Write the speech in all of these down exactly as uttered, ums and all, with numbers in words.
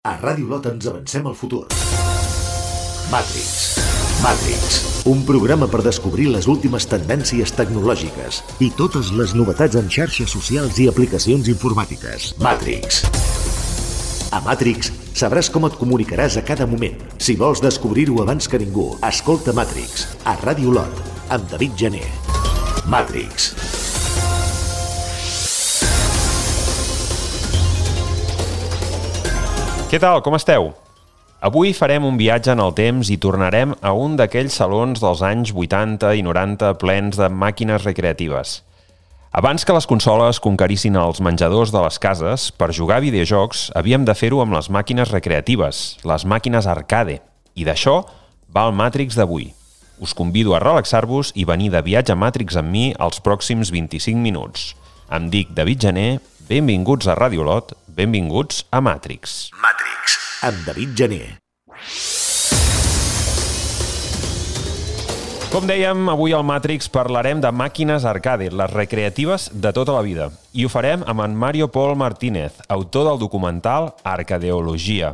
A Ràdio Lot ens avancem al futur. Matrix. Matrix. Un programa per descobrir les últimes tendències tecnològiques i totes les novetats en xarxes socials i aplicacions informàtiques. Matrix. A Matrix sabràs com et comunicaràs a cada moment. Si vols descobrir-ho abans que ningú, escolta Matrix, a Ràdio Lot, amb David Gené. Matrix. Què tal, com esteu? Avui farem un viatge en el temps i tornarem a un d'aquells salons dels anys vuitanta i noranta plens de màquines recreatives. Abans que les consoles conquerissin els menjadors de les cases, per jugar a videojocs havíem de fer-ho amb les màquines recreatives, les màquines arcade. I d'això va el Matrix d'avui. Us convido a relaxar-vos i venir de viatge a Matrix amb mi els pròxims vint-i-cinc minuts. Em dic David Gené, benvinguts a Ràdio Lot, benvinguts a Matrix. Matrix, amb David Gené. Com dèiem, avui al Matrix parlarem de màquines arcade, les recreatives de tota la vida. I ho farem amb en Mario Pol Martínez, autor del documental Arcadeologia.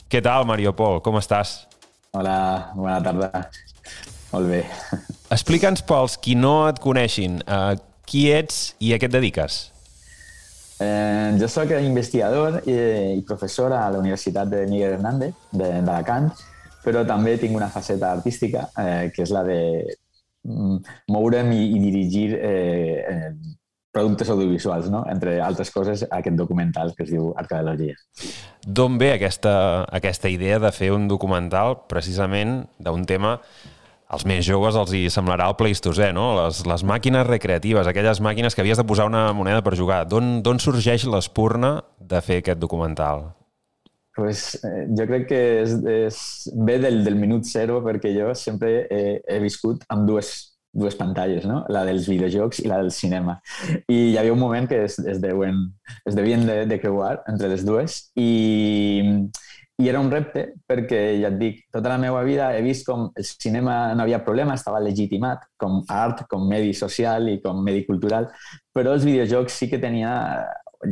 Què tal, Mario Pol? Com estàs? Hola, bona tarda. Molt bé. Explica'ns pels qui no et coneixin, uh, qui ets i a què et dediques? Eh, jo soc investigador i, i professor a la Universitat de Miguel Hernández d'Alacant, però també tinc una faceta artística, eh, que és la de mm, moure'm i, i dirigir eh, eh, productes audiovisuals, no? Entre altres coses, aquest documental que es diu Arcadeologia. D'on ve aquesta, aquesta idea de fer un documental precisament d'un tema... Als més joves els hi semblarà el Pleistocè, no? Les, les màquines recreatives, aquelles màquines que havies de posar una moneda per jugar. D'on sorgeix l'espurna de fer aquest documental? Pues, eh, jo crec que és, és, ve del, del minut zero, perquè jo sempre he, he viscut amb dues, dues pantalles, no? La dels videojocs i la del cinema. I hi havia un moment que es, es, deuen, es devien de, de creuar entre les dues i... I era un repte perquè, ja et dic, tota la meva vida he vist com el cinema no havia problema, estava legitimat com art, com medi social i com medi cultural, però els videojocs sí que tenia,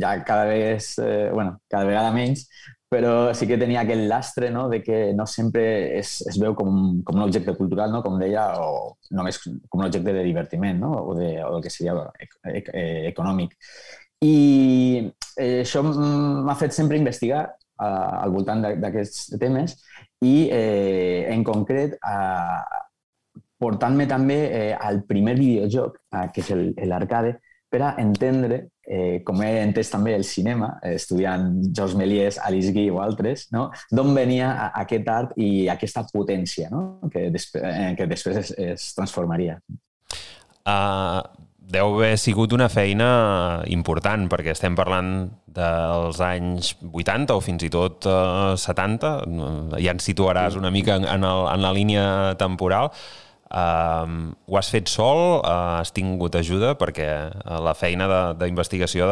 ja cada vegada, eh, bueno, cada vegada menys, però sí que tenia aquell lastre, no?, de que no sempre es, es veu com, com un objecte cultural, no?, com deia, o només com un objecte de divertiment, no?, o, de, o del que seria econòmic. I eh, això m'ha fet sempre investigar al voltant d'aquests temes i, eh, en concret, eh, portant-me també eh, al primer videojoc, eh, que és l'arcade, per a entendre, eh, com he entès també el cinema, eh, estudiant Georges Méliès, Alice Guy o altres, no?, d'on venia aquest art i aquesta potència, no?, que, després, eh, que després es, es transformaria. Uh... Deu haver sigut una feina important, perquè estem parlant dels anys vuitanta o fins i tot uh, setanta. Ja ens situaràs una mica en, en, el, en la línia temporal. Uh, ho has fet sol? Uh, has tingut ajuda? Perquè la feina d'investigació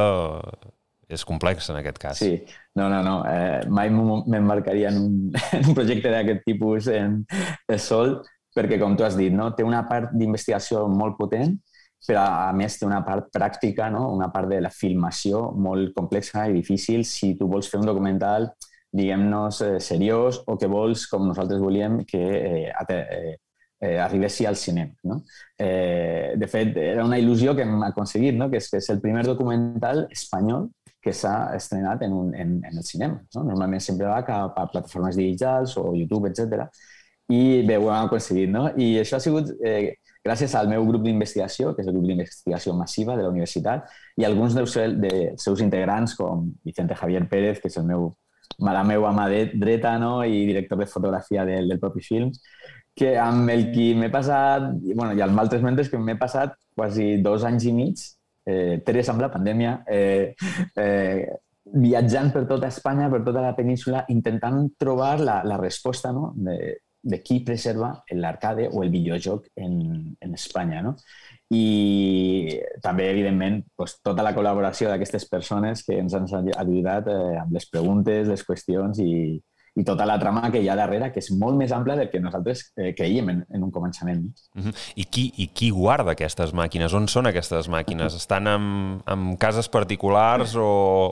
és complexa en aquest cas. Sí, no, no, no. Eh, mai m'embarcaria en, un, en un projecte d'aquest tipus en, en sol, perquè, com tu has dit, no? Té una part d'investigació molt potent, però a més té una part pràctica, no? Una part de la filmació molt complexa i difícil si tu vols fer un documental, diguem-nos, eh, seriós o que vols, com nosaltres volíem, que eh, eh, eh, arribessi al cinema, no? Eh, de fet, era una il·lusió que hem aconseguit, no? Que és, que és el primer documental espanyol que s'ha estrenat en, un, en, en el cinema, no? Normalment sempre va cap a plataformes digitals o YouTube, etcètera. I bé, ho hem aconseguit, no? I això ha sigut... Eh, gràcies al meu grup d'investigació, que és el grup d'investigació massiva de la universitat, i alguns dels seus integrants, com Vicente Javier Pérez, que és el meu, la meva mà dreta, no?, i director de fotografia del, del propi film, que amb el qui m'he passat, bueno, i amb altres membres que m'he passat quasi dos anys i mig, eh, tres amb la pandèmia, eh, eh, viatjant per tota Espanya, per tota la península, intentant trobar la, la resposta, no?, de, de qui preserva l'arcade o el videojoc en, en Espanya, no? I també, evidentment, doncs, tota la col·laboració d'aquestes persones que ens han ajudat eh, amb les preguntes, les qüestions i, i tota la trama que hi ha darrere, que és molt més ampla del que nosaltres eh, creiem en, en un començament. Uh-huh. I, qui, I qui guarda aquestes màquines? On són aquestes màquines? Estan en, en cases particulars o,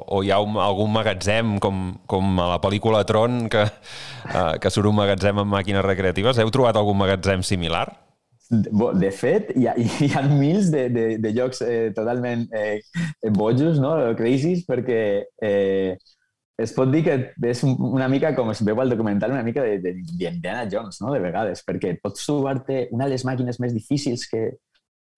o hi ha un, algun magatzem com, com a la pel·lícula Tron que, uh, que surt un magatzem amb màquines recreatives? Heu trobat algun magatzem similar? De fet, hi ha, hi ha mils de, de, de llocs eh, totalment eh, bojos, no? Crazies, perquè eh, es pot dir que és una mica, com es veu al documental, una mica d'Indiana Jones, no? De vegades, perquè pots trobar-te una de les màquines més difícils que,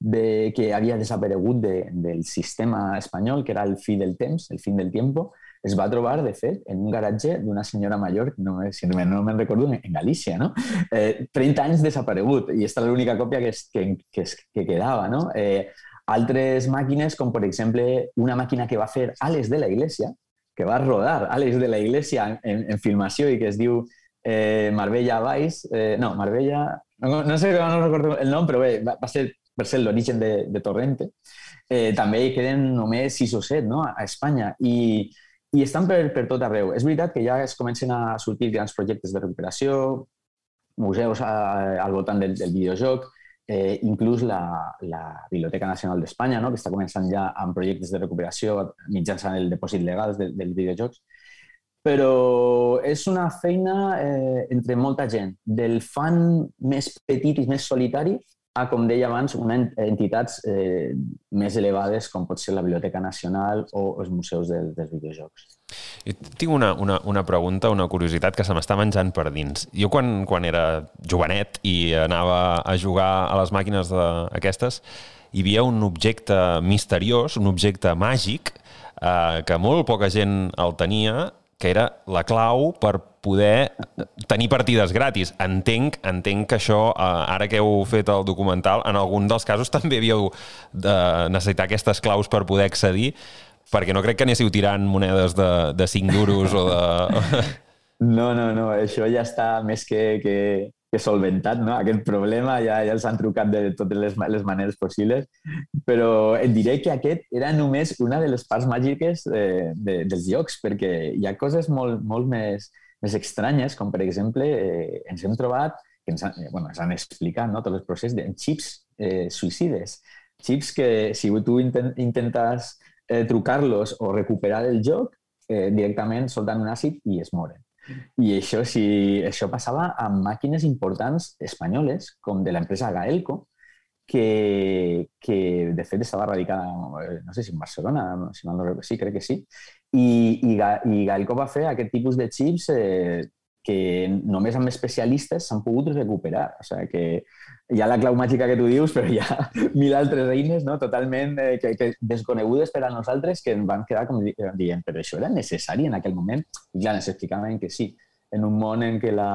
de, que havia desaparegut de, del sistema espanyol, que era el fi del temps, el fin del tiempo. Es va trobar, de fet, en un garatge d'una senyora major, no, si no me'n recordo, en Galícia, no? Eh, trenta anys desaparegut, i aquesta és l'única còpia que, es, que, que, es, que quedava, no? Eh, altres màquines, com per exemple una màquina que va fer Àlex de la Iglesia, que va rodar Àlex de la Iglesia en, en filmació i que es diu eh, Marbella Vice, eh, no, Marbella, no, no sé, no recordo el nom, però bé, va, va ser per ser l'origen de, de Torrente. Eh, també hi queden només sis o set, no?, a Espanya, i I estan per, per tot arreu. És veritat que ja es comencen a sortir grans projectes de recuperació, museus a, al voltant del, del videojoc, eh, inclús la, la Biblioteca Nacional d'Espanya, no?, que està començant ja amb projectes de recuperació mitjançant el depòsit legal dels de, de videojocs. Però és una feina eh, entre molta gent, del fan més petit i més solitari a, com deia abans, unes entitats eh, més elevades com pot ser la Biblioteca Nacional o els museus del, dels videojocs. Jo tinc una, una, una pregunta, una curiositat que se m'està menjant per dins. Jo quan, quan era jovenet i anava a jugar a les màquines d'aquestes, hi havia un objecte misteriós, un objecte màgic, eh, que molt poca gent el tenia, que era la clau per poder tenir partides gratis. Entenc, entenc que això, ara que heu fet el documental, en algun dels casos també havíeu de necessitar aquestes claus per poder accedir, perquè no crec que anéssiu tirant monedes de, de cinc duros o de... No, no, no, això ja està més que, que, que solventat, no? Aquest problema ja, ja els han trucat de totes les, les maneres possibles, però et diré que aquest era només una de les parts màgiques de, de, dels jocs, perquè hi ha coses molt, molt més, més estranyes, com per exemple eh, ens hem trobat, que ens han, bueno, ens han explicat, no?, tot el procés de xips eh, suïcides, xips que si tu intent, intentes eh, trucar-los o recuperar el joc, eh, directament solten un àcid i es moren. I això, si, això passava amb màquines importants espanyoles, com de l'empresa Gaelco, que, que de fet estava radicada, no sé si en Barcelona, si no, sí, crec que sí, i, i, i Gaelco va fer aquest tipus de xips eh, que només amb especialistes s'han pogut recuperar. O sigui que hi ha la clau màgica que tu dius, però hi ha mil altres eines, no?, totalment eh, que, que desconegudes per a nosaltres, que ens van quedar com dient, però això era necessari en aquell moment? I clar, ens explicaven que sí. En un món en què la...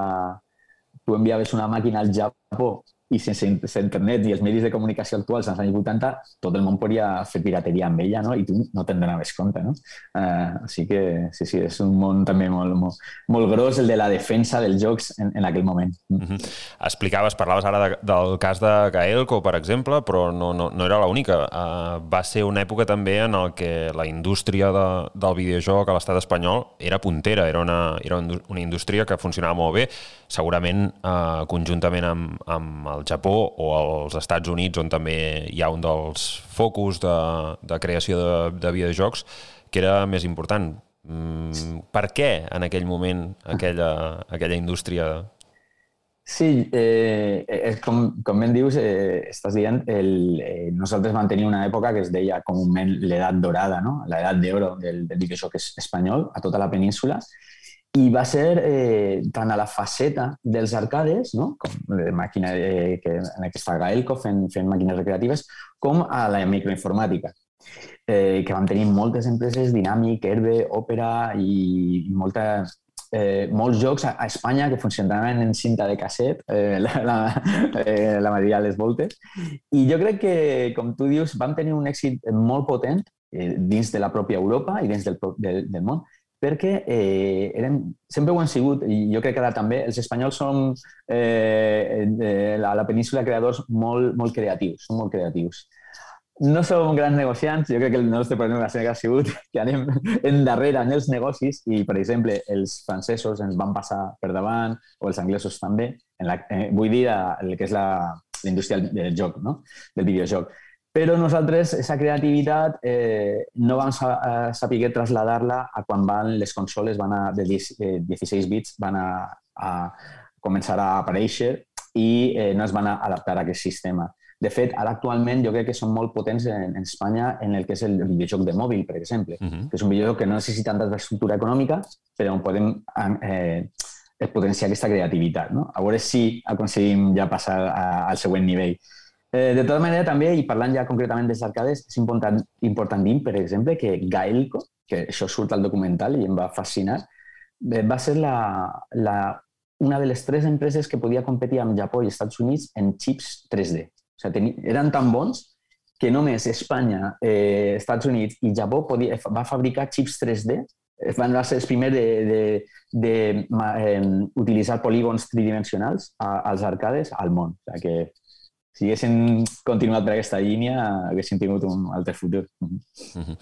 tu enviaves una màquina al Japó i sense internet i els medis de comunicació actuals als anys vuitanta, tot el món podia fer pirateria amb ella, no?, i tu no te'n donaves compte, no? Uh, així que, sí, sí, és un món també molt, molt, molt gros, el de la defensa dels jocs en, en aquell moment. Mm-hmm. Explicaves, parlaves ara de, del cas de Gaelco, per exemple, però no, no, no era l'única. Uh, va ser una època també en el que la indústria de, del videojoc a l'estat espanyol era puntera, era una, era una indústria que funcionava molt bé, segurament uh, conjuntament amb, amb el Japó o als Estats Units, on també hi ha un dels focus de, de creació de, de videojocs, que era més important. Mm, per què en aquell moment aquella, aquella indústria? Sí, eh, és com, com ben dius, eh, estàs dient, el, eh, nosaltres vam tenir una època que es deia comúment l'edat dorada, no?, l'edat d'oro del, del videojoc espanyol a tota la península. I va ser eh, tant a la faceta dels arcades, no?, com de màquina eh, que, en què està Gaelco fent, fent màquines recreatives, com a la microinformàtica, eh, que vam tenir moltes empreses, Dynamic, Herbe, Opera i, i molta, eh, molts jocs a, a Espanya que funcionaven en cinta de casset, eh, la, la, eh, la majoria de les voltes. I jo crec que, com tu dius, vam tenir un èxit molt potent eh, dins de la pròpia Europa i dins del, del, del món, perquè eh, eren, sempre ho han sigut, i jo crec que ara també, els espanyols som eh, a la península creadors molt, molt creatius, són molt creatius. no som grans negociants, jo crec que el nostre problema sempre ha sigut que anem endarrere en els negocis i, per exemple, els francesos ens van passar per davant, o els anglesos també, en la, eh, vull dir el que és la, la indústria del joc, no? Del videojoc. Però nosaltres, aquesta creativitat, eh, no vam saber traslladar-la a quan van les consoles van a, de dieciséis bits van a, a començar a aparèixer i eh, no es van adaptar a aquest sistema. De fet, ara actualment jo crec que són molt potents en, en Espanya en el que és el videojoc de mòbil, per exemple, uh-huh. que és un videojoc que no necessita tanta infraestructura econòmica, però on podem eh, potenciar aquesta creativitat, no? A veure si aconseguim ja passar a, al següent nivell. Eh, de tota manera, també, i parlant ja concretament dels arcades, és important, important dir, per exemple, que Gaelco, que això surt al documental i em va fascinar, va ser la, la, una de les tres empreses que podia competir amb Japó i Estats Units en xips tres D. O sigui, teni, eren tan bons que només Espanya, eh, Estats Units i Japó podia, va fabricar xips tres D, van ser els primers d'utilitzar polígons tridimensionals a, als arcades al món. O sigui que si haguessin continuat per aquesta línia, haguessin tingut un altre futur. Uh-huh.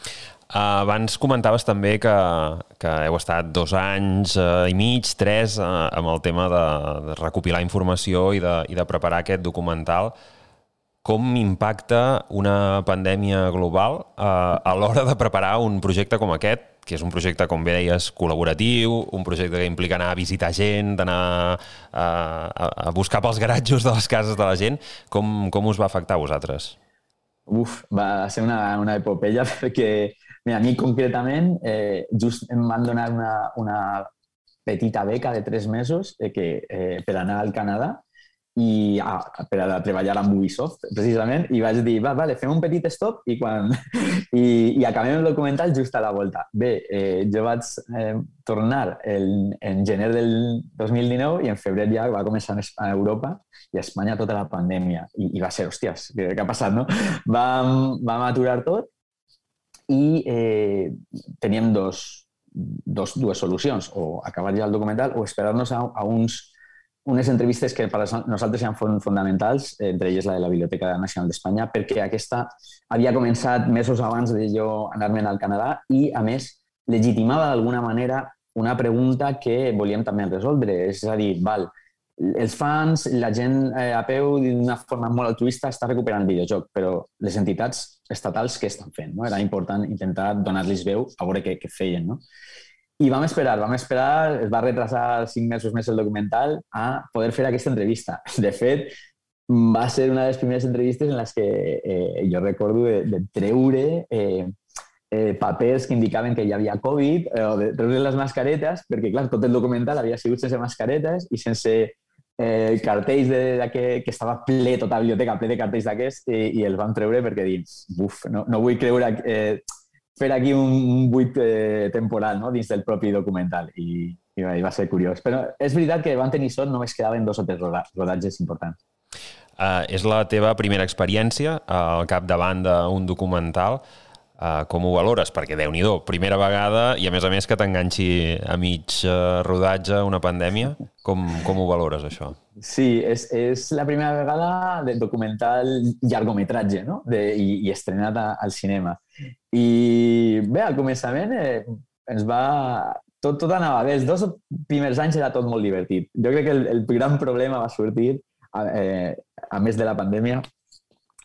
Abans comentaves també que, que heu estat dos anys eh, i mig, tres, eh, amb el tema de, de recopilar informació i de, i de preparar aquest documental. Com impacta una pandèmia global eh, a l'hora de preparar un projecte com aquest, que és un projecte, com bé deies, col·laboratiu, un projecte que implica anar a visitar gent, d'anar a, a buscar pels garatjos de les cases de la gent. Com, com us va afectar a vosaltres? Uf, va ser una, una epopeia perquè, mira, a mi concretament, eh, just em van donar una, una petita beca de tres mesos eh, que, eh, per anar al Canadà i ah, per a treballar amb Ubisoft, precisament, i vaig dir, va, vale, fem un petit stop i, quan... I, i acabem el documental just a la volta. Bé, eh, jo vaig eh, tornar el, en gener del dos mil dinou i en febrer ja va començar a Europa i a Espanya tota la pandèmia. I, i va ser, hòsties, què, què ha passat, no? Vam, vam aturar tot i eh, teníem dos, dos, dues solucions, o acabar ja el documental o esperar-nos a, a uns unes entrevistes que per a nosaltres eren fonamentals, entre elles la de la Biblioteca Nacional d'Espanya, perquè aquesta havia començat mesos abans de jo anar-me'n al Canadà i, a més, legitimava d'alguna manera una pregunta que volíem també resoldre. És a dir, val, els fans, la gent a peu d'una forma molt altruista està recuperant el videojoc, però les entitats estatals què estan fent? No? Era important intentar donar-los veu a veure què, què feien, no? I vam esperar, vam esperar, es va retrasar cinc mesos més el documental a poder fer aquesta entrevista. De fet, va ser una de les primeres entrevistes en les que eh, jo recordo de, de treure eh, eh, papers que indicaven que hi havia Covid, eh, o de treure les mascaretes, perquè, clar, tot el documental havia sigut sense mascaretes i sense eh, cartells de, de que, que estava ple, tota la biblioteca, ple de cartells d'aquests, i, i els vam treure perquè dins, buf, no, no vull creure... Eh, fer aquí un buit eh, temporal, no? Dins del propi documental i, i va ser curiós. Però és veritat que van tenir sort, només quedaven dos o tres rodatges importants. Uh, és la teva primera experiència al capdavant d'un documental. Uh, com ho valores? Perquè, Déu-n'hi-do, primera vegada i, a més a més, que t'enganxi a mig uh, rodatge una pandèmia. Com, com ho valores, això? Sí, és, és la primera vegada de documental llargometratge, no? De, i, i estrenat a, al cinema. I bé, al començament eh, ens va... Tot, tot anava bé. Els dos primers anys era tot molt divertit. Jo crec que el, el gran problema va sortir, eh, a més de la pandèmia,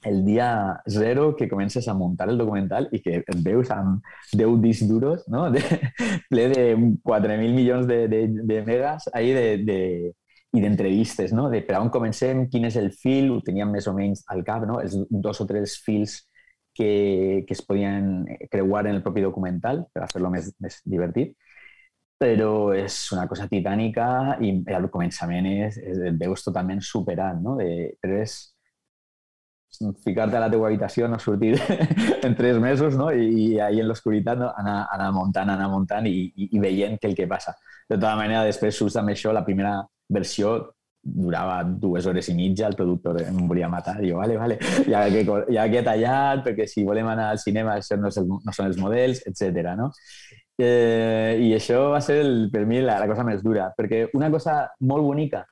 el dia zero que comences a muntar el documental i que et veus amb deu discs duros, no? De, ple de quatre mil milions de, de, de megas ahí de, de, i d'entrevistes, no? De per on comencem, quin és el fil, ho teníem més o menys al cap, no? Els dos o tres fils que, que es podien creuar en el propi documental per a fer-lo més, més divertit. Però és una cosa titànica i al començament és, és, et veus totalment superat, no? De, però és ficar-te a la teva habitació, no sortir en tres mesos, no? I, i ahí en l'oscuritat, no? anar, anar muntant, anar muntant i, i, i veient què el que passa. De tota manera, després surts amb això, la primera versió durava dues hores i mitja, el productor em volia matar, i jo, vale, vale, ja que, ja que he tallat, perquè si volem anar al cinema això no, és el, no són els models, etcètera, no? Eh, I això va ser, el, per mi, la, la cosa més dura, perquè una cosa molt bonica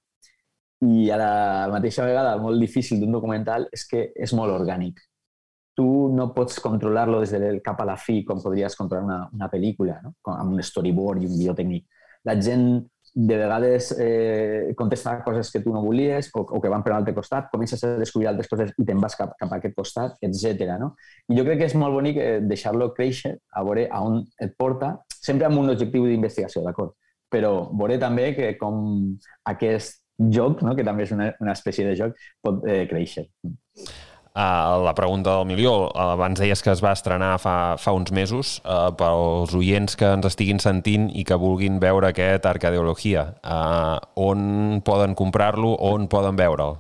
i a la mateixa vegada molt difícil d'un documental és que és molt orgànic. tu no pots controlar-lo des del cap a la fi com podries controlar una, una pel·lícula, no? Amb un storyboard i un guió tècnic. La gent de vegades eh, contesta coses que tu no volies o, o que van per un altre costat, comences a descobrir altres coses i te'n vas cap, cap a aquest costat, etcètera. No? I jo crec que és molt bonic eh, deixar-lo créixer, a veure a on et porta, sempre amb un objectiu d'investigació, d'acord? Però veure també que com aquest joc, no? que també és una, una espècie de joc, pot eh, créixer. Uh, la pregunta del milió, uh, abans deies que es va estrenar fa, fa uns mesos, uh, pels oients que ens estiguin sentint i que vulguin veure aquest Arcadeologia, uh, on poden comprar-lo, on poden veure'l?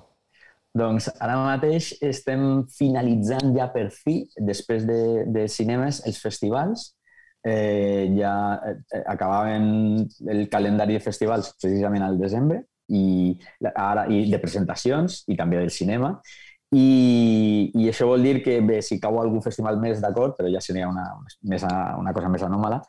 Doncs ara mateix estem finalitzant ja per fi, després de, de cinemes, els festivals. Eh, ja acabaven el calendari de festivals precisament al desembre i, ara, i de presentacions i també del cinema. I, i això vol dir que, bé, si cau algun festival més, d'acord, però ja seria una, més, una cosa més anòmala.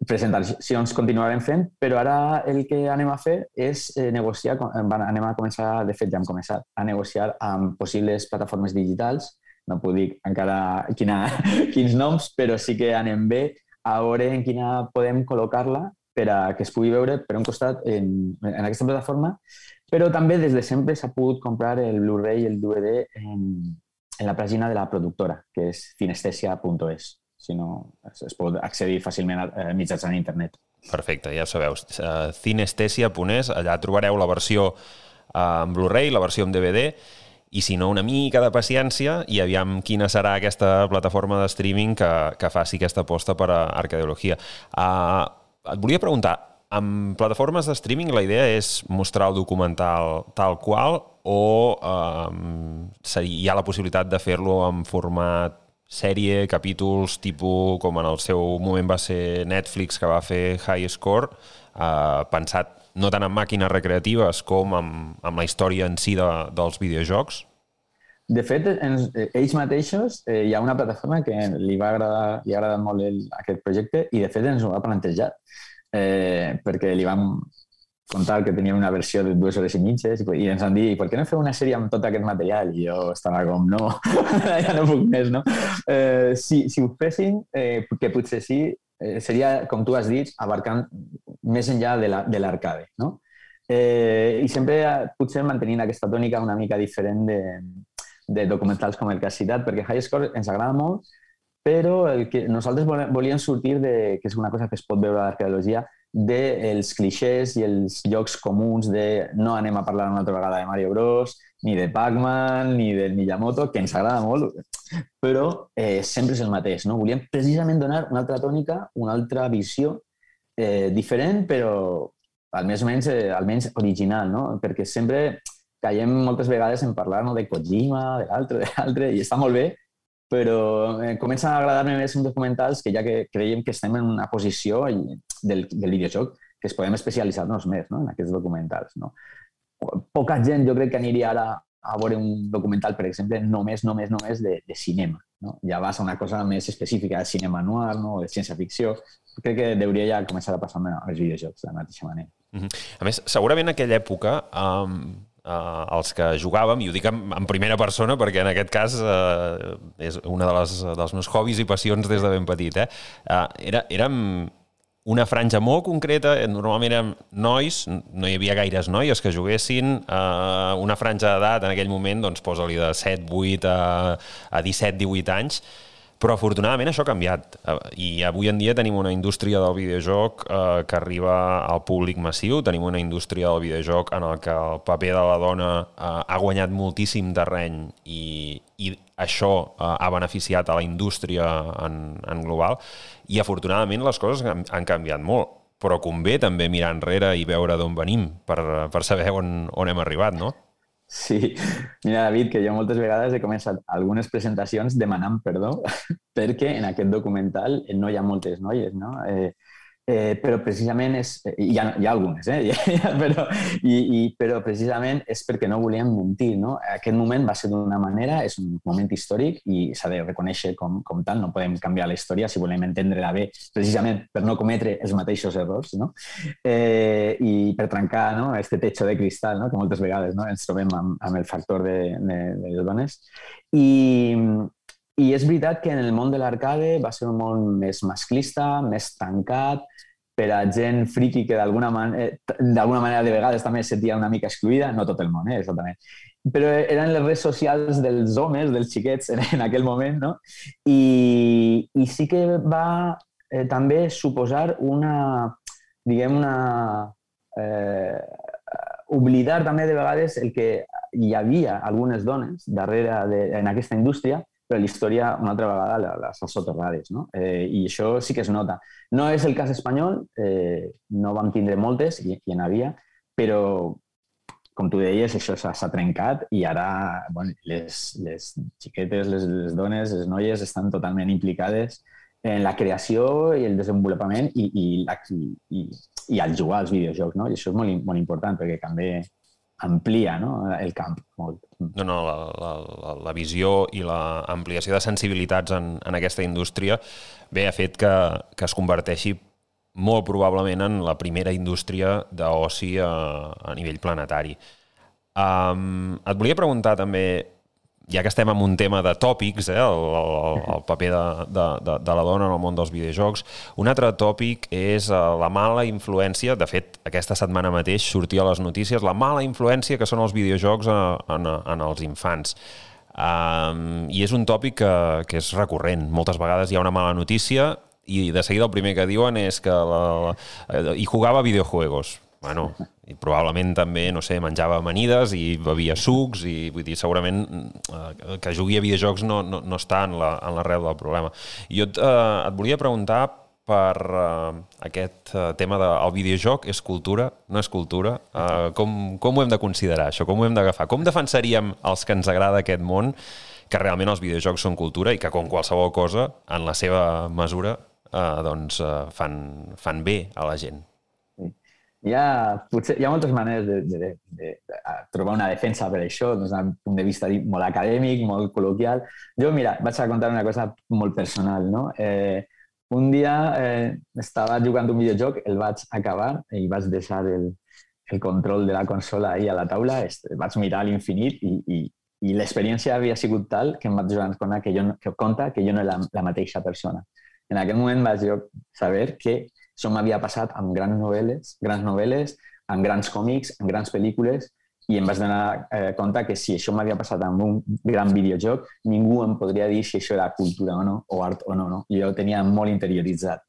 Presentacions continuarem fent, però ara el que anem a fer és eh, negociar, anem a començar, de fet ja hem començat, a negociar amb possibles plataformes digitals, no puc dir encara quina, quins noms, però sí que anem bé a veure en quina podem col·locar-la per a que es pugui veure, per un costat, en, en aquesta plataforma, però també des de sempre s'ha pogut comprar el Blu-ray i el D V D en, en la pàgina de la productora, que és cinestesia punt es. Si no, es, es pot accedir fàcilment a, a mitjançant internet. Perfecte, ja ho sabeu. Uh, cinestesia punt es, allà trobareu la versió uh, en Blu-ray, la versió en D V D, i si no, una mica de paciència i aviam quina serà aquesta plataforma de streaming que, que faci aquesta aposta per a Arcadeologia. Uh, et volia preguntar, amb plataformes de streaming la idea és mostrar el documental tal qual o eh, hi ha la possibilitat de fer-lo en format sèrie, capítols, tipus com en el seu moment va ser Netflix, que va fer High Score, eh, pensat no tant en màquines recreatives com amb, amb la història en si de, dels videojocs? De fet, ens, ells mateixos, eh, hi ha una plataforma que li va agradar, li ha agradat molt el, aquest projecte i de fet ens ho va plantejar. Eh, perquè li vam contar que teníem una versió de dues hores i mitges i ens han dit, per què no feu una sèrie amb tot aquest material? I jo estava com, no, ja no puc més, no? Eh, si, si ho fessin, eh, que potser sí, eh, seria, com tu has dit, abarcant més enllà de l'arcade, la, no? Eh, I sempre potser mantenint aquesta tònica una mica diferent de, de documentals com el que has citat, perquè High Score ens agrada molt, però el que nosaltres volíem sortir, de, que és una cosa que es pot veure a l'arqueologia, dels clixés i els llocs comuns de no anem a parlar una altra vegada de Mario Bros, ni de Pac-Man, ni del Miyamoto, que ens agrada molt, però eh, sempre és el mateix, no? Volíem precisament donar una altra tònica, una altra visió eh, diferent, però almenys, eh, almenys original, no? Perquè sempre caiem moltes vegades en parlar, no, de Kojima, de l'altre, de l'altre, i està molt bé, però eh, comencen a agradar-me més uns documentals que ja que creiem que estem en una posició del, del videojoc que es podem especialitzar-nos més, no? En aquests documentals. No? Poca gent jo crec que aniria ara a veure un documental, per exemple, només, només, només de, de cinema. No? Ja vas a una cosa més específica de cinema noir, no? De ciència-ficció. Crec que hauria ja començar a passar als videojocs de la mateixa manera. Mm-hmm. A més, segurament en aquella època... Um... Uh, els que jugàvem, i ho dic en, en primera persona perquè en aquest cas uh, és una de les, dels meus hobbies i passions des de ben petit, eh? Uh, era, érem una franja molt concreta, normalment érem nois, no hi havia gaires noies que juguessin, uh, una franja d'edat en aquell moment, doncs posa-li de set, vuit a, a disset, divuit anys, però afortunadament això ha canviat i avui en dia tenim una indústria del videojoc eh, que arriba al públic massiu, tenim una indústria del videojoc en el que el paper de la dona eh, ha guanyat moltíssim terreny i, i això eh, ha beneficiat a la indústria en, en global i afortunadament les coses han, han canviat molt, però convé també mirar enrere i veure d'on venim per, per saber on, on hem arribat, no? Sí, mira, David, que jo moltes vegades he començat algunes presentacions demanant perdó perquè en aquest documental no hi ha moltes noies, no? Eh, eh, però precisament és... Hi ha, hi ha algunes, eh? però, i, i, però precisament és perquè no volíem mentir, no? Aquest moment va ser d'una manera, és un moment històric i s'ha de reconèixer com, com tal, no podem canviar la història si volem entendre-la bé, precisament per no cometre els mateixos errors, no? Eh, i per trencar, no, este techo de cristal, no? Que moltes vegades, no, ens trobem amb, amb el factor de, de, de les dones. I, I és veritat que en el món de l'arcade va ser un món més masclista, més tancat, per a gent friki que d'alguna manera, d'alguna manera de vegades també es sentia una mica excluïda, no tot el món, eh, exactament. Però eren les redes socials dels homes, dels xiquets en, en aquell moment, no? I, i sí que va eh, també suposar una, diguem, una... Eh, oblidar també de vegades el que hi havia algunes dones darrere de, en aquesta indústria, però la història una altra vegada les ha soterrades, no? Eh, I això sí que es nota. No és el cas espanyol, eh, no vam tindre moltes, i, i en havia, però, com tu deies, això s'ha trencat i ara bueno, les, les xiquetes, les, les dones, les noies estan totalment implicades en la creació i el desenvolupament i, i, i, i al jugar als videojocs, no? I això és molt, molt important perquè també amplia, no? El camp molt. No, no, la, la, la visió i l'ampliació de sensibilitats en, en aquesta indústria bé ha fet que, que es converteixi molt probablement en la primera indústria d'oci a, a nivell planetari. Um, et volia preguntar també, ja que estem en un tema de tòpics, eh, el, el, el paper de, de, de, de la dona en el món dels videojocs, un altre tòpic és la mala influència, de fet, aquesta setmana mateix sortia a les notícies, la mala influència que són els videojocs en, en els infants. Um, I és un tòpic que, que és recurrent. Moltes vegades hi ha una mala notícia i de seguida el primer que diuen és que la, la, hi jugava a videojuegos. Bueno, i probablement també, no sé, menjava amanides i bevia sucs i vull dir, segurament eh, que jugui a videojocs no, no, no està en la, en l'arrel del problema. I jo et, eh, et volia preguntar per eh, aquest eh, tema del de, videojoc és cultura, no és cultura. Eh, com, com ho hem de considerar, això? Com ho hem d'agafar? Com defensaríem els que ens agrada aquest món que realment els videojocs són cultura i que com qualsevol cosa, en la seva mesura, eh, doncs, eh, fan, fan bé a la gent? Hi ha, potser, hi ha moltes maneres de, de, de, de trobar una defensa per això, des d'un punt de vista molt acadèmic, molt col·loquial. Jo, mira, vaig a contar una cosa molt personal, no? Eh, un dia eh, estava jugant un videojoc, el vaig acabar i vaig deixar el, el control de la consola ahí a la taula, vaig mirar a l'infinit i, i, i l'experiència havia sigut tal que em vaig donar que jo, que compte que jo no era la, la mateixa persona. En aquell moment vaig jo saber que això m'havia passat amb grans novel·les, grans novel·les, amb grans còmics, amb grans pel·lícules, i em vaig donar eh, compte que si això m'havia passat amb un gran videojoc, ningú em podria dir si això era cultura o no, o art o no. no. Jo ho tenia molt interioritzat.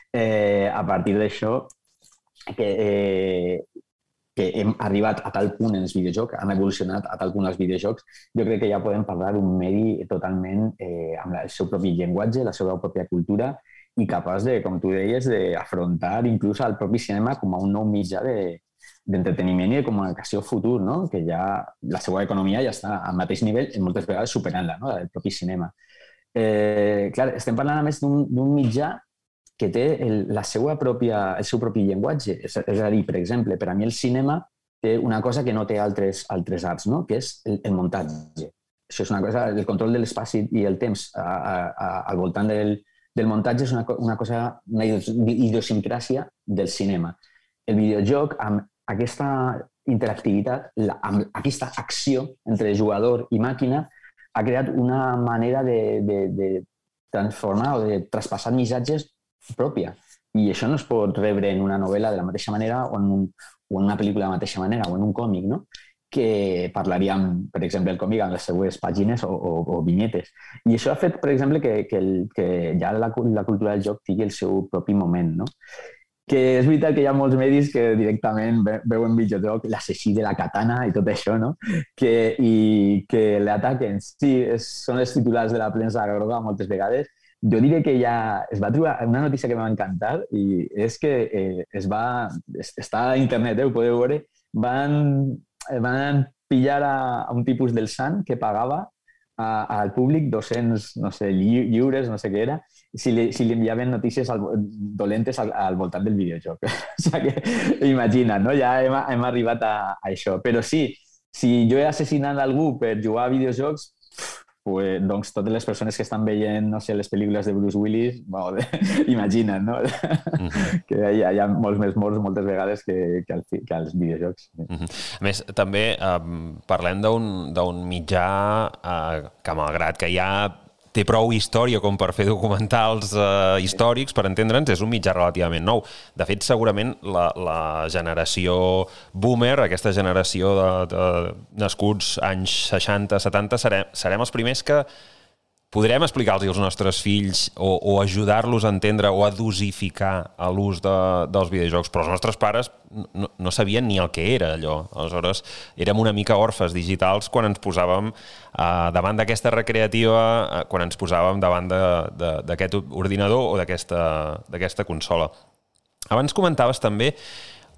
Eh, a partir d'això, que, eh, que hem arribat a tal punt en els videojocs, han evolucionat a tal punt els videojocs, jo crec que ja podem parlar d'un medi totalment eh, amb el seu propi llenguatge, la seva pròpia cultura, i capaç de, com tu deies, d'afrontar inclús el propi cinema com a un nou mitjà d'entreteniment i de comunicació futur, no? Que ja la seva economia ja està al mateix nivell i moltes vegades superant-la, no? El propi cinema. Eh, clar, estem parlant a més d'un mitjà que té el, la seva pròpia, el seu propi llenguatge. És, és a dir, per exemple, per a mi el cinema té una cosa que no té altres, altres arts, no? Que és el, el muntatge. Això és una cosa, el control de l'espai i el temps a, a, a, al voltant del del muntatge és una, una cosa, una idiosincràsia del cinema. El videojoc, amb aquesta interactivitat, la, amb aquesta acció entre jugador i màquina, ha creat una manera de, de, de transformar o de traspassar missatges pròpia. I això no es pot rebre en una novel·la de la mateixa manera o en, un, o en una pel·lícula de la mateixa manera o en un còmic, no? Que parlaríem, per exemple, el còmic amb les seues pàgines o, o, o vinyetes. I això ha fet, per exemple, que, que, el, que ja la, la cultura del joc tingui el seu propi moment, no? Que és veritat que hi ha molts medis que directament veuen videojoc l'assassí de la katana i tot això, no? Que, i que l'ataquen. Sí, és, són els titulars de la premsa groga moltes vegades. Jo diré que ja es va trobar una notícia que m'ha encantat i és que eh, es va... Està a internet, eh, ho podeu veure. Van... van pillar a, a un tipus del sant que pagava a, al públic dos-cents, no sé, lliures, no sé què era, si li, si li enviaven notícies al, dolentes al, al voltant del videojoc. O sigui que, imagina't, no? Ja hem, hem arribat a, a això. Però sí, si jo he assassinat algú per jugar a videojocs, pues, doncs totes les persones que estan veient, no sé, les pel·lícules de Bruce Willis, bueno, imagina't, no? Mm-hmm. Que hi ha, hi ha molts més morts moltes vegades que, que, al, que als videojocs. Mm-hmm. A més, també eh, parlem d'un mitjà eh, que, malgrat que hi ha té prou història com per fer documentals eh, històrics, per entendre'ns, és un mitjà relativament nou. De fet, segurament la, la generació boomer, aquesta generació de, de nascuts anys seixanta setanta, serem, serem els primers que podrem explicar-los als nostres fills o, o ajudar-los a entendre o a dosificar l'ús de, dels videojocs, però els nostres pares no, no sabien ni el que era allò. Aleshores, érem una mica orfes digitals quan ens posàvem eh, davant d'aquesta recreativa, eh, quan ens posàvem davant d'aquest ordinador o d'aquesta consola. Abans comentaves també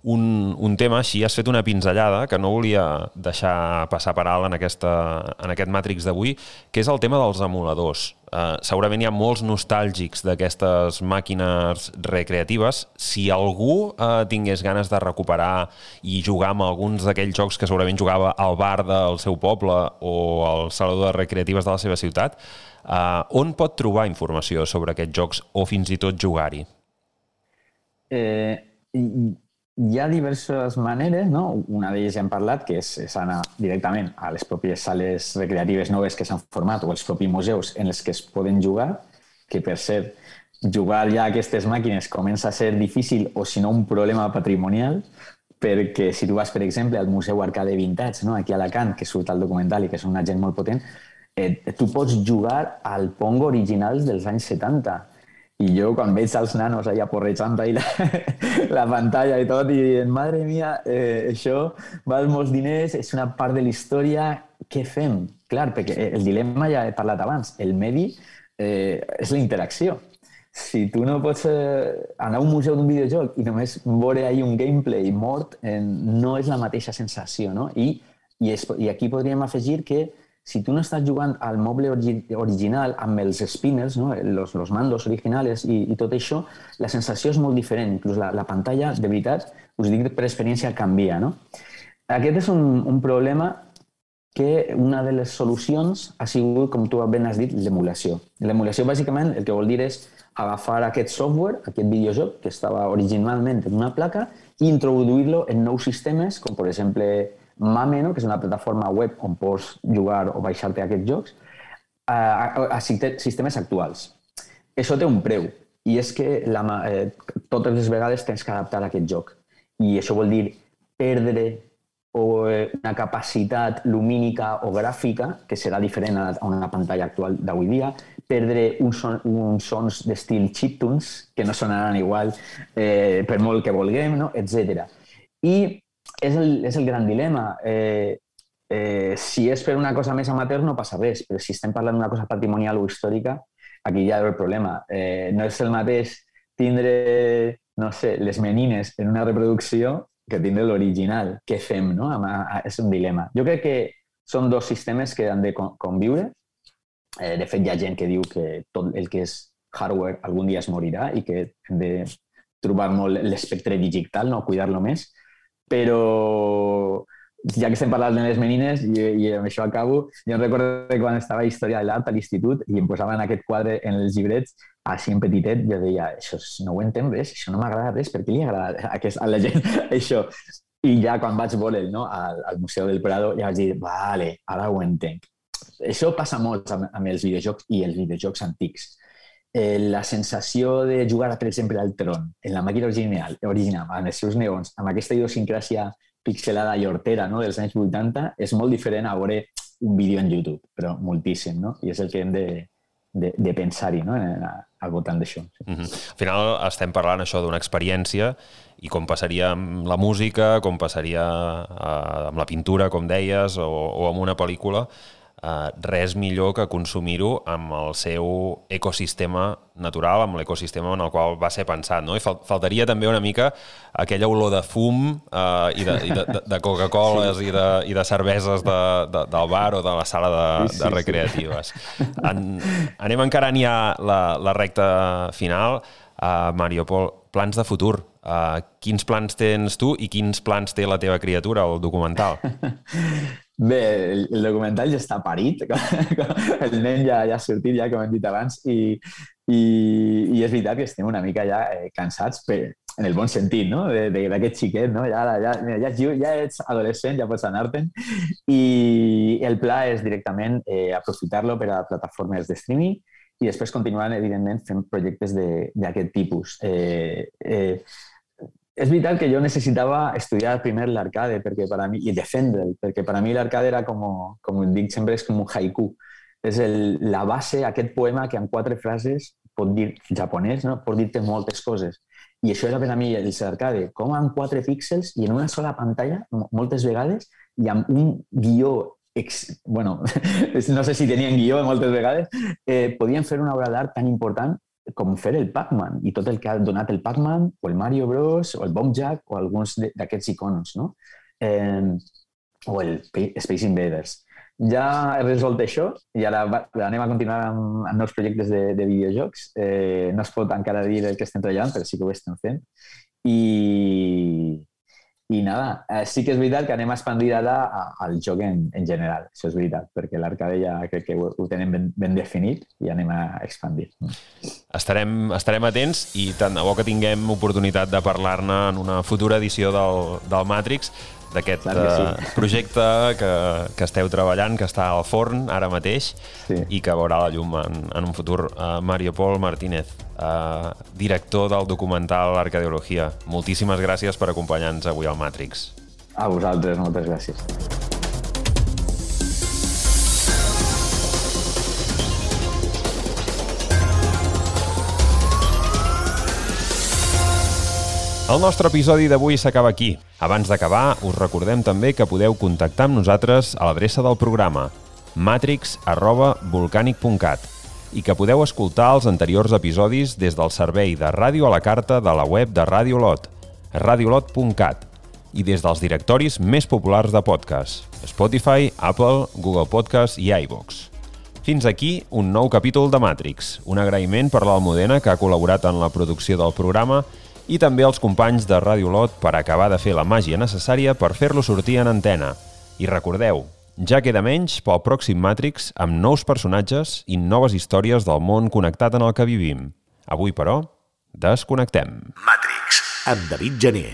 Un, un tema, així has fet una pinzellada que no volia deixar passar per alt en, aquesta, en aquest Matrix d'avui, que és el tema dels emuladors. Uh, segurament hi ha molts nostàlgics d'aquestes màquines recreatives. Si algú uh, tingués ganes de recuperar i jugar amb alguns d'aquells jocs que segurament jugava al bar del seu poble o al saló de recreatives de la seva ciutat, uh, on pot trobar informació sobre aquests jocs o fins i tot jugar-hi? Eh, Hi ha diverses maneres, no? Una d'elles ja hem parlat, que és, és anar directament a les pròpies sales recreatives noves que s'han format o els propis museus en els que es poden jugar, que per cert, jugar ja a aquestes màquines comença a ser difícil o si no un problema patrimonial, perquè si tu vas, per exemple, al Museu Arcade Vintage, no? Aquí a Alacant, que surt al documental i que és una gent molt potent, eh, tu pots jugar al Pong original dels anys setanta. I jo, quan veig els nanos allà porrejant la, la pantalla i tot, i madre mia, eh, això val molts diners, és una part de la història, què fem? Clar, perquè el dilema ja he parlat abans, el medi eh, és la interacció. Si tu no pots eh, anar a un museu d'un videojoc i només veure ahí un gameplay mort, eh, no és la mateixa sensació, no? I, i, es, i aquí podríem afegir que si tu no estàs jugant al moble original amb els spinners, no? los, los mandos originals i, i tot això, la sensació és molt diferent. Inclús la, la pantalla, de veritat, us dic per experiència, canvia. No? Aquest és un, un problema que una de les solucions ha sigut, com tu ben has dit, l'emulació. L'emulació, bàsicament, el que vol dir és agafar aquest software, aquest videojoc, que estava originalment en una placa, i introduir-lo en nous sistemes, com per exemple Mame, no? Que és una plataforma web on pots jugar o baixar-te aquests jocs, a, a, a sistemes actuals. Això té un preu, i és que la, eh, totes les vegades tens que adaptar aquest joc. I això vol dir perdre o, eh, una capacitat lumínica o gràfica, que serà diferent a una pantalla actual d'avui dia, perdre uns, son, uns sons d'estil chiptunes, que no sonaran igual eh, per molt que vulguem, no? etcètera. I És el, és el gran dilema. Eh, eh, si és per una cosa més amateur no passa res, però si estem parlant d'una cosa patrimonial o històrica, aquí ja hi ha el problema. Eh, no és el mateix tindre, no sé, les menines en una reproducció que tindre l'original. Què fem, no? És un dilema. Jo crec que són dos sistemes que han de conviure. Eh, de fet, hi ha gent que diu que tot el que és hardware algun dia es morirà i que hem de trobar molt l'espectre digital, no? Cuidar-lo més. Però ja que estem parlant de les menines, i, i amb això acabo, jo recordo que quan estava a Història de l'Art a l'institut i em posaven aquest quadre en els llibrets, així en petitet, jo deia, això no ho entenc res, això no m'agrada res, per què li agrada a, aquest, a la gent això? I ja quan vaig veure no, al, al Museu del Prado, ja vaig dir, vale, ara ho entenc. Això passa molt amb, amb els videojocs i els videojocs antics. Eh, la sensació de jugar, per exemple, al Tron, en la màquina original, original amb els seus neons, amb aquesta idiosincràsia pixelada i hortera, no?, dels anys vuitanta, és molt diferent a veure un vídeo en YouTube, però moltíssim, no? I és el que hem de, de, de pensar-hi, no?, al voltant d'això. Sí. Mm-hmm. Al final estem parlant això d'una experiència i com passaria amb la música, com passaria eh, amb la pintura, com deies, o, o amb una pel·lícula, Uh, res millor que consumir-ho amb el seu ecosistema natural, amb l'ecosistema en el qual va ser pensat, no? I fal faltaria també una mica aquella olor de fum uh, i de, i de, de Coca-Coles sí. i, de, i de cerveses de, de, del bar o de la sala de, sí, sí, de recreatives. Sí. En, anem encarant ja la, la recta final. Uh, Mario Pol, plans de futur. Uh, quins plans tens tu i quins plans té la teva criatura, el documental? Bé, el, el documental ja està parit, el nen ja, ja ha sortit, ja com hem dit abans, i, i, i és veritat que estem una mica ja eh, cansats, per, en el bon sentit, no? D'aquest xiquet, no? Ja, ja, ja, ja ets adolescent, ja pots anar-te'n. I el pla és directament eh, aprofitar-lo per a plataformes de streaming i després continuar, evidentment, fent projectes d'aquest tipus. Eh, eh, és veritat que jo necessitava estudiar primer l'arcade perquè per a mi, i defendre'l, perquè per a mi l'arcade era com, com dic sempre, és com un haiku. És el, la base, aquest poema que en quatre frases pot dir, japonès, no? Pot dir-te moltes coses. I això era per a mi el arcade, com en quatre píxels i en una sola pantalla, moltes vegades, i amb un guió, ex... bueno, no sé si tenien guió moltes vegades, eh, podien fer una obra d'art tan important com fer el Pac-Man i tot el que ha donat el Pac-Man o el Mario Bros o el Bob-Jack o alguns d'aquests iconos, no? Eh, o el Space Invaders. Ja he resolt això i ara anem a continuar amb, amb nous projectes de, de videojocs. Eh, no es pot encara dir el que estem treballant, però sí que ho estem fent. I, i nada, eh, sí que és veritat que anem a expandir ara al joc en, en general. Això és veritat, perquè l'arcade ja crec que ho, ho tenem ben, ben definit i anem a expandir. Estarem, estarem atents i tant de bo que tinguem oportunitat de parlar-ne en una futura edició del, del Matrix, d'aquest sí. projecte que, que esteu treballant, que està al forn ara mateix sí. i que veurà la llum en, en un futur. Uh, Mario Pol Martínez, uh, director del documental Arcadeologia, moltíssimes gràcies per acompanyar-nos avui al Matrix. A vosaltres, moltes gràcies. El nostre episodi d'avui s'acaba aquí. Abans d'acabar, us recordem també que podeu contactar amb nosaltres a l'adreça del programa matrix arroba volcanic punt cat i que podeu escoltar els anteriors episodis des del servei de ràdio a la carta de la web de Radio Lot, radiolot punt cat, i des dels directoris més populars de podcast, Spotify, Apple, Google Podcast i iVoox. Fins aquí un nou capítol de Matrix. Un agraïment per l'Almudena, que ha col·laborat en la producció del programa, i també als companys de Radio Lot per acabar de fer la màgia necessària per fer-lo sortir en antena. I recordeu, ja queda menys pel pròxim Matrix amb nous personatges i noves històries del món connectat en el que vivim. Avui, però, desconnectem. Matrix, amb David Gené.